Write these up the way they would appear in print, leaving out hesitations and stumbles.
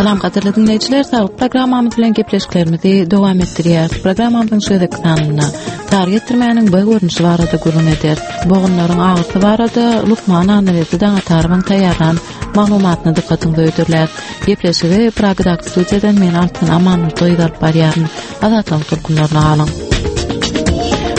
Salam gadyrly diňleýjiler, saglyk programmamyz bilen gepleşiklerimizi dowam etdirýäris. Programmamyzyň şu gezekki sanynda sary getirmäniň B görnüşi barada gürrüň ederis. Bogunlaryň agyrysy barada lukman Annaberdi Daňatarowyň taýýarlan maglumatyny dykgatyňyza hödürläris. Gepleşigi Pragadaky studiýadan men Altyn Amanmurdyýewa alyp barýaryn. Azatlygyň tolkunlaryna galyň.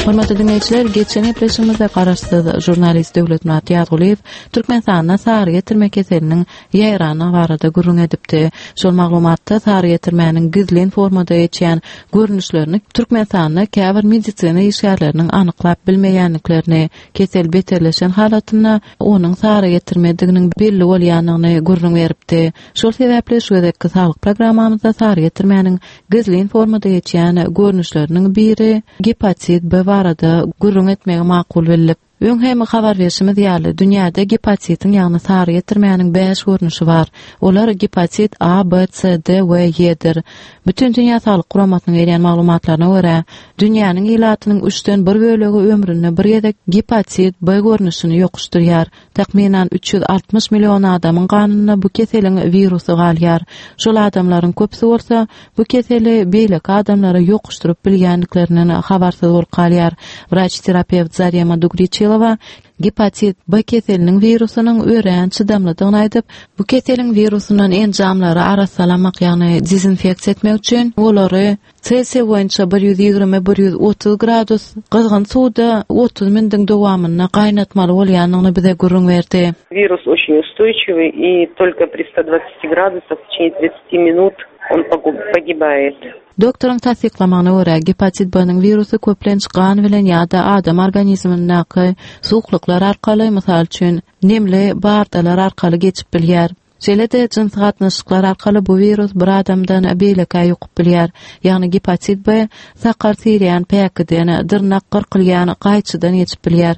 Hormatly diňleýjiler, geçen gepleşigimizde garaşsyz žurnalist Döwletmyrat Ýazgulyýew Türkmenistanda sary getirme keseliniň ýaýrandygy barada gürrüň edipdi. Şol maglumatda sary getirmäniň gizlin formada geçýän görnüşlerini Türkmenistanda käbir medisina işgärleriniň anyklap bilmeýändiklerini, kesel beterleşen halatynda onuň sary getirmediginiň belli bolýandygyny gürrüň beripdi. Şol sebäpli şu gezekki saglyk programmamyzda sary getirmäniň gizlin formada geçýän görnüşleriniň biri gepatit B barada gürrüň etmegi makul bildik. Öň hem habar berşimiz ýaly, dünýäde gepatitiň, ýagny sary getirmäniň bäş görnüşi bar. Olar gepatit A, B, C, D we E-dir. Bütindünýä Saglyk Guramasynyň berýän maglumatlaryna görä, dünýäniň ilatynyň üçden bir bölegi ömründe bir gezek gepatit B görnüşini ýokuşdyrýar. Takmynan 360 million adamyň ganynda bu keseliň wirusy galýar. Şol adamlaryň köpüsi bolsa bu keseli beýleki adamlara ýokuşdyryp bilýändiklerinden habarsyz bolup galýar. Wraç-terapewt Zarema Dugriçilowa gepatit B keseliniň wirusynyň örän çydamlydygyny aýdyp, bu keseliň wirusyndan enjamlary arassalamak, ýagny dezinfeksiýa etmek üçin olary Selsiý boýunça 120, 130 gradus gyzgyn suwda 30 mindiň dowamynda gaýnatmaly bolýandygyny bize gürrüň berdi. Wirus очень устойчивый и только при 120 gradusах в течение 30 minut on pogibает. Doktoryň tassyklamagyna görä, gepatit B-niň wirusy köplenç gan bilen ýa-da adam organizmindäki suwuklyklar arkaly, mysal üçin, nemli bardalar arkaly geçip bilýär. Şeýle-de jynsy gatnaşyklar arkaly bu wirus bir adamdan beýlekä ýokup bilýär. Ýagny gepatit B sakgal syrýan päkiden, dyrnak gyrkylýan gaýçydan geçip bilýär.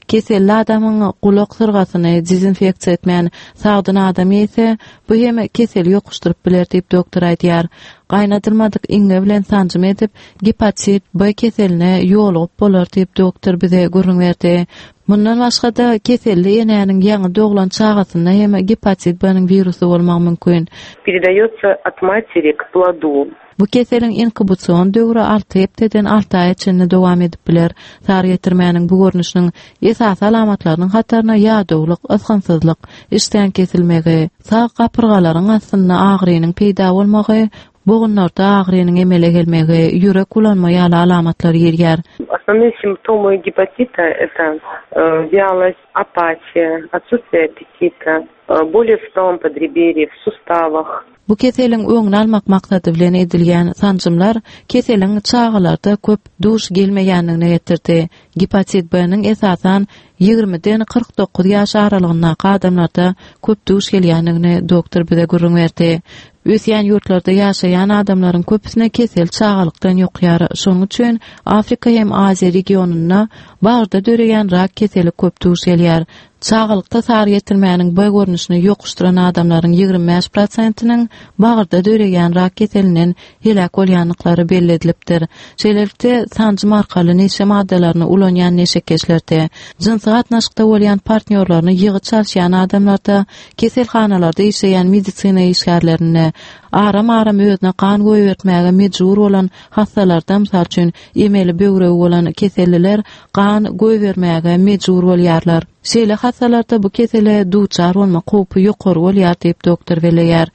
Keselli adamyň gulak syrgasyny dezinfeksiýa etmän sagdyn adam iýse, bu hem keseli ýokuşdyryp biler diýip doktor aýdýar. Gaýnadylmadyk iňňe bilen sanjym edip, gepatit B keseline ýolugyp bolar diýip doktor bize gürrüň berdi. Mundan başga-da, keselli enäniň ýaňy doglan çagasynda hem gepatit B-niň wirusy bolmagy mümkin. Peredaýotsa ot materi k plodu. Bu keseliň inkubasion döwri alty hepdeden alty aýa çenli dowam edip biler. Sary getirmäniň bu görnüşiniň esasy alamatlarynyň hataryna ýadawlyk, ysgynsyzlyk, işdäň kesilmegi, sag gapyrgalaryň astynda agyrynyň peýda bolmagy, Bogunlarda agyrynyň emele gelmegi, ýürek bulanma ýaly alamatlar girýär. Основные симптомы гепатита это вялость, апатия, отсутствие аппетита, боли в правом подреберье, в суставах. Bu keseliň öňüni almak maksady bilen edilýän sanjymlar keseliň çagalarda köp duş gelmeýändigine getirdi. Gepatit B-niň esasan ýigrimiden 49 ýaş aralygyndaky adamlarda köp duş gelýändigini doktor bize gürrüň berdi. Ösýän ýurtlarda ýaşaýan adamlaryň köpüsine kesel çagalykdan ýokýar. Şonuň üçin Afrika hem Aziýa regionynda bagyrda döreýän rak keseli köp duş gelýär. Çagalykda sary getirmäniň B görnüşini ýokuşdyran adamlaryň 25 prosentiniň bagyrda döreýän rak keselinden heläk bolýandyklary belli edilipdir. Şeýlelikde, sanjym arkaly neşe maddalaryny ulanýan neşekeşlerde, jynsy gatnaşykda bolýan partnýorlaryny ýygy çalyşýan adamlarda, keselhanalarda işleýän medisina işgärlerinde, aram-aram özüne gan goýbertmäge mejbur bolan hassalarda, mysal üçin, emeli böwregi bolan keselliler gan goýbermäge mejbur bolýarlar. Şeýle hassalarda bu kesele duçar bolmak howpy ýokary bolýar diýip, doktor belleýär.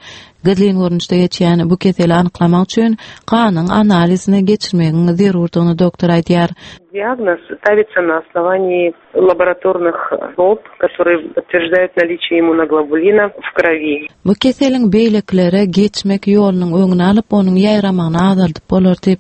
Gizlin görnüşde geçýän bu keseli anyklamak üçin ganyň analizini geçirmegiň zerurdygyny doktor aýdýar. Diagnoz stavится na osnovanii laboratornych prób, которые подтверждают наличие иммуноглобулина в крови. Bu keseliň beýlekilere geçmek ýolunyň öňüni alyp, onuň ýaýramagyny azaldyp bolar diýip,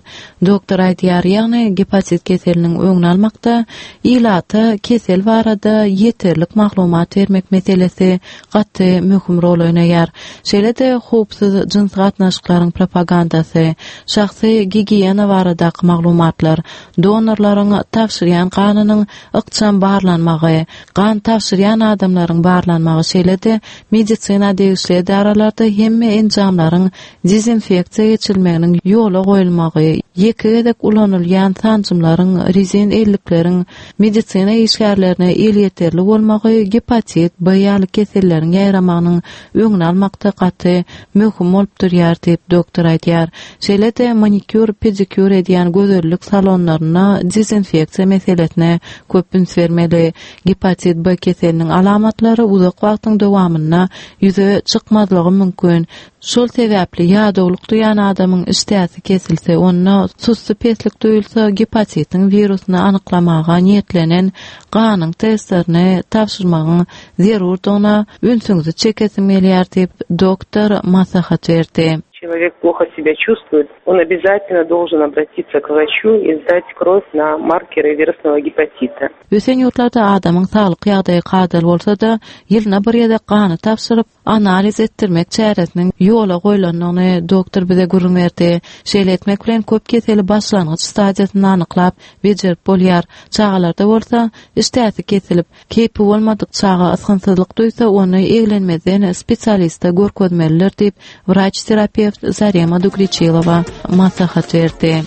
doktor aýdýar. Ýagny gepatit keseliniň öňüni almakda ilata kesel barada ýeterlik maglumat bermek meselesi gaty möhüm rol oýnaýar. Şeýle-de howpsuz jynsy gatnaşyklaryň propagandasy, şahsy gigiýena baradaky maglumatlar, donorlaryň tabşyrýan ganynyň ykjam barlanmagy, gan tabşyrýan adamlaryň barlanmagy, şeýle-de medisina degişli edaralarda hemme enjamlaryň dezinfeksiýa geçirilmeginiň ýola goýulmagy, ýeke gezek ulanylýan sanjymlaryň, rezin ellikleriň medisina işgärlerine elýeterli bolmagy gepatit, B ýaly keselleriň ýaýramagynyň öňüni almakda gaty. möhüm bolup durýar diýip, doktor aýdýar. Şeýle-de manikýur, pedikýur edýän gözellik salonlarynda dezinfeksiýa meselesine köp üns bermeli. Gepatit B keseliniň alamatlary uzak wagtyň dowamynda ýüze çykmazlygy mümkin. Şol sebäpli ýadawlyk duýan adamyň işdäsi kesilse, onda sussupeslik duýulsa, gepatitiň wirusyny anyklamaga niýetlenen ganyň testlerini tabşyrmagyň zerurdygyna ünsüňizi çekesim gelýär diýip, doktor maslahat berdi. Человек плохо себя чувствует, он обязательно должен обратиться к врачу и сдать кровь на маркеры вирусного гепатита. Ösen ýurtlarda adamyň saglyk ýagdaýy kadaly bolsa-da, ýylyna bir gezek gany tabşyryp, analiz etdirmek çäresiniň ýola goýlandygyny doktor bize gürrüň berdi. Şeýle etmek bilen köp keseli başlangyç stadiýasynda anyklap, bejerip bolýar. Çagalarda bolsa, işdäsi kesilip, keýpi bolmadyk çaga ysgynsyzlyk duýsa, ony eglenmezden spesialiste görkezmelidir diýip, wraç-terapewt Zarema Dugriçilowa maslahat berdi.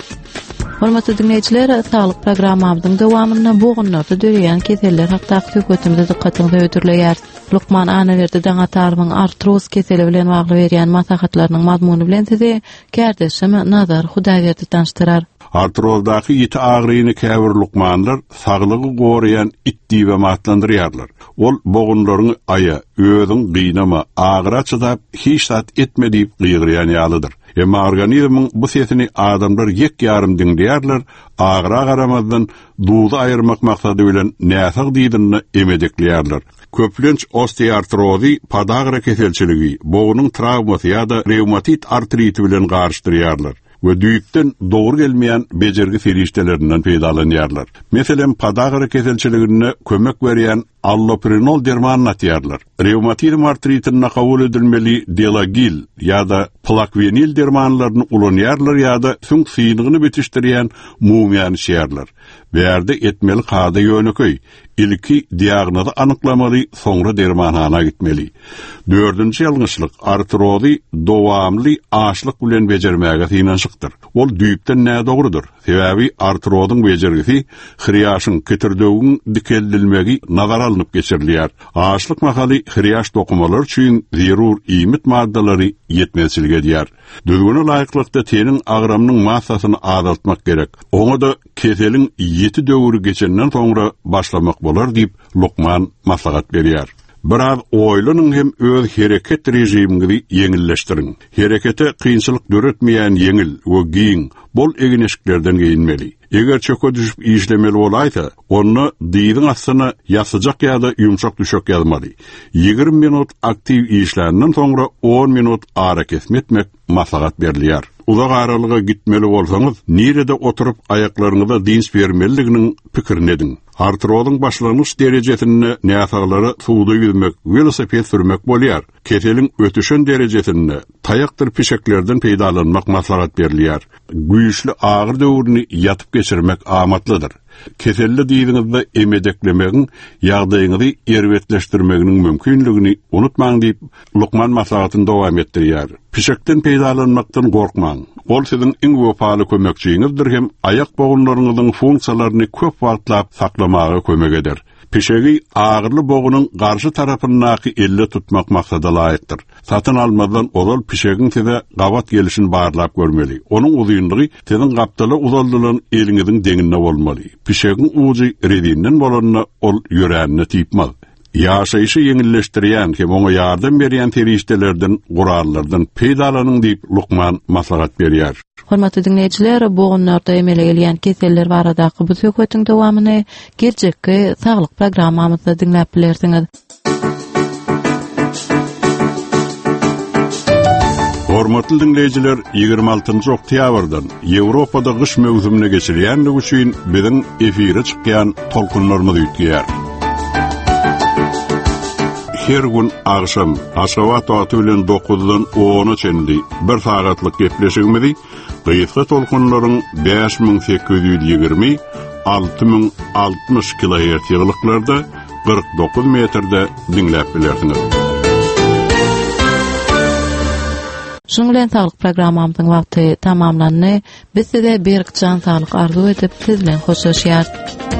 Hormatly diňleýjiler, saglyk programmamyzyň dowamynda bogunlarda döreýän keseller hakdaky söhbetimizi dykgatyňyza hödürleýäris. Lukman Annaberdi Daňatarowyň artroz keseli bilen bagly berýän maslahatlarynyň mazmuny bilen sizi kärdeşim Nazar Hudaýberdi tanyşdyrar. Artrozdaky ýiti agyryny käbir lukmanlar saglygy goraýan it diýibem atlandyrýarlar. Ol bogunlaryňy aýa, özüň gynama, agyra çydap, hiç zat etme diýip gygyrýan ýalydyr. Emma organizmiň bu sesini adamlar ýek-ýarym diňleýärler, agyra garamazdan, duzy aýyrmak maksady bilen näsag dyzynda emedekleýärler. Köplenç osteoartrozy podagra keselçiligi, bognuň trawmasy ýa-da rewmatit artriti bilen garyşdyrýarlar we düýpden dogry gelmeýän bejergi serişdelerinden peýdalanýarlar. Meselem, podagra keselçiliginde kömek berýän Alloprinol dermanyny atýarlar. Rewmatizm artritinde kabul edilmeli Delagil ýa-da Plakwenil dermanlaryny ulanýarlar ýa-da süňk synygyny bitişdirýän mumyýany içýärler. Bärde etmeli kada ýönekeý, ilki diagnozy anyklamaly, soňra dermanhana gitmeli. Dördünji ýalňyşlyk, artrozy dowamly açlyk bilen bejermäge synanyşykdyr. Ol düýpden nädogrudyr. Sebäbi artrozyň bejergisi hrýaşyň, kitirdewügiň dikeldilmegi nazara alnyp geçirilýär. Açlyk mahaly hrýaş dokumalary üçin zerur iýmit maddalary ýetmezçilik edýär. Düzgüne laýyklykda teniň agramynyň massasyny azaltmak gerek. Oňa-da keseliň ýiti döwri geçenden soňra başlamak bolar diýip, lukman maslahat berýär. Biraz oýlanyň hem öz hereket režimiňizi ýeňilleşdiriň. Herekete kynçylyk döretmeýän ýeňil we giň, bol egin-eşiklerden geýinmeli. Eger çöke düşüp işlemeli bolaýsa, onda dyzyň astyna ýassyjak ýa-da ýumşak düşek ýazmaly. 20 minut aktiw işländen soňra on minut arakesme etmek maslahat berilýär. Uzak aralyga gitmeli bolsaňyz, nirede oturyp aýaklaryňyza dynç bermelidiginiň pikirini ediň. Artrozyň başlangyç derejesinde näsaglara suwda ýüzmek, welosiped sürmek bolýar. Keseliň ötüşen derejesinde taýakdyr pişeklerden peýdalanmak maslahat berilýär. Güýçli agyry döwrüni ýatyp geçirmek amatlydyr. Keselli dyzyňyzda emedeklemegiň ýagdaýyňyzy erbetleşdirmeginiň mümkinligini unutmaň diýip, lukman maslahatyny dowam etdirýär. Pişekden peýdalanmakdan gorkmaň. Ol siziň iň wepaly kömekçiňizdir hem aýak bogunlaryňyzyň funksiýalaryny köp wagtlap saklamaga kömek eder. Pişegi agyryly bogunyň garşy tarapyndaky elde tutmak maksada laýykdyr. Satyn almazdan ozal pişegiň size gabat gelişini barlap görmeli. Onuň uzynlygy siziň gapdala uzaldylan eliňiziň deňinde bolmaly. Pişegiň ujy rezinden bolanda ol ýörände typmaz. Ýaşaýşy ýeňilleşdirýän hem oňa ýardam berýän serişdelerden, gurallardan peýdalanyň diýip, lukman maslahat berýär. Hormatly diňleýjiler, bogunlarda emele gelýän keseller baradaky bu söhbetiň dowamyny geljekki Saglyk programmamyzda diňläp bilersiňiz. Hormatly diňleýjiler, 26-njy oktýabrdan Ýewropada gyş möwsümine geçilýänligi üçin biziň efire çykýan tolkunlarymyz üýtgeýär. Her gün agşam Aşgabat wagty bilen 9-dan 10-a çenli bir sagatlyk gepleşigimizi gysga tolkunlaryň 5820 6060 kilohertz ýygylyklarda 49 metrde diňläp bilersiňiz. Şunuň bilen saglyk programmamyzyň wagty tamamlandy. Biz size berk jan saglyk arzuw edip, siz bilen hoşlaşýarys.